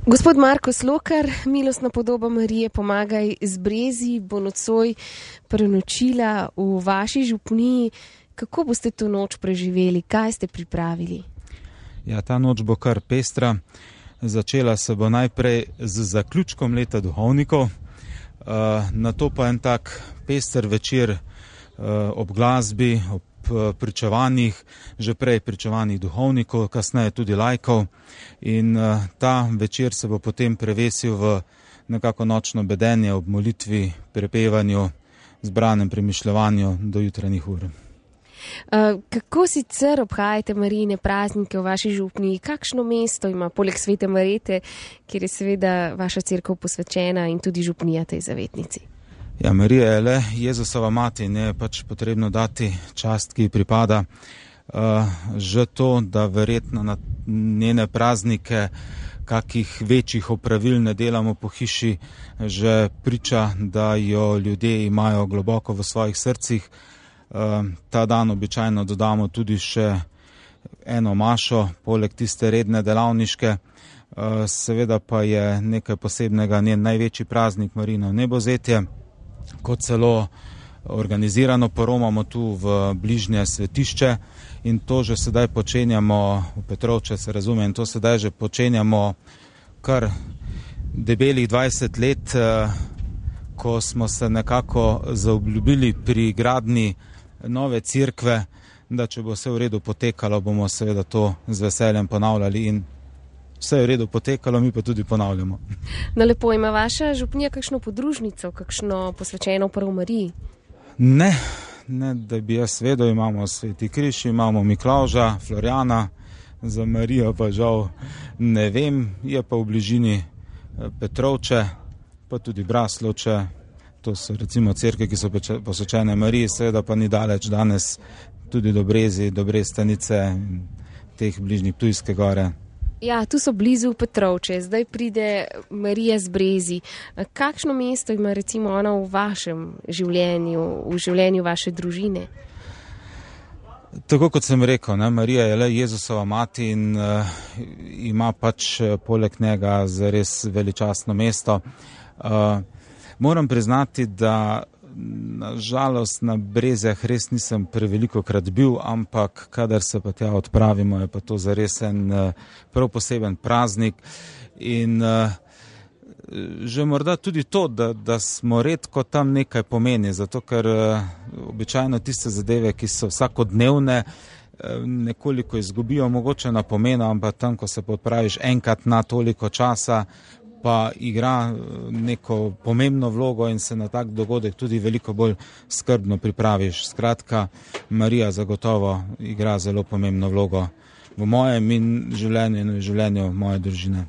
Gospod Marko Slokar, milostna podoba Marije Pomagaj z Brezij bo nocoj prenočila v vaši župniji. Kako boste to noč preživeli? Kaj ste pripravili? Ja, ta noč bo kar pestra. Začela se bo najprej z zaključkom leta duhovnikov, nato pa en tak pester večer ob glasbi, ob pričevanjih, že prej pričevanih duhovnikov, kasneje tudi laikov, in ta večer se bo potem prevesil v nekako nočno bedenje ob molitvi, prepevanju, zbranem premišljevanju do jutranjih ur. Kako sicer obhajate Marijine praznike v vaši župniji? Kakšno mesto ima poleg Svete Marjete, kjer je seveda vaša cerkev posvečena in tudi župnija tej zavetnici? Ja, Marija je le Jezusova mati in je pač potrebno dati čast, ki ji pripada. Že to, da verjetno na njene praznike kakih večjih opravil ne delamo po hiši, že priča, da jo ljudje imajo globoko v svojih srcih. Ta dan običajno dodamo tudi še eno mašo, poleg tiste redne delavniške. Seveda pa je nekaj posebnega njen največji praznik, Marijino vnebovzetje, ko celo organizirano poromamo tu v bližnje svetišče, in to že sedaj počenjamo v Petrovče, se razume, in to sedaj že počenjamo kar debelih 20 let, ko smo se nekako zaobljubili pri gradnji nove cerkve, da če bo vse v redu potekalo, bomo seveda to z veseljem ponavljali, in vse je v redu potekalo, mi pa tudi ponavljamo. No, lepo, ima vaša župnija kakšno podružnico, kakšno posvečeno prav Mariji? Ne, da bi jaz vedel, imamo Sveti križ, imamo Miklavža, Florjana, za Marijo pa žal ne vem, je pa v bližini Petrovče, pa tudi Braslovče. To so recimo cerkve, ki so posvečene Mariji, seveda pa ni daleč danes tudi do Brezij, do Brestanice in teh bližnjih Ptujske gore. Ja, tu so blizu Petrovče, zdaj pride Marija z Brezij. Kakšno mesto ima recimo ona v vašem življenju, v življenju vaše družine? Tako kot sem rekel, Marija je le Jezusova mati in ima pač poleg njega zares veličastno mesto. Moram priznati, da na žalost na Brezjah res nisem prevelikokrat bil, ampak kadar se pa tja odpravimo, je pa to zares en prav poseben praznik. In že morda tudi to, da smo redko tam nekaj pomeni, zato ker običajno tiste zadeve, ki so vsakodnevne, nekoliko izgubijo mogoče na pomenu, ampak tam, ko se pa odpraviš enkrat na toliko časa, pa igra neko pomembno vlogo in se na tak dogodek tudi veliko bolj skrbno pripraviš. Skratka, Marija zagotovo igra zelo pomembno vlogo v mojem življenju in v življenju moje družine.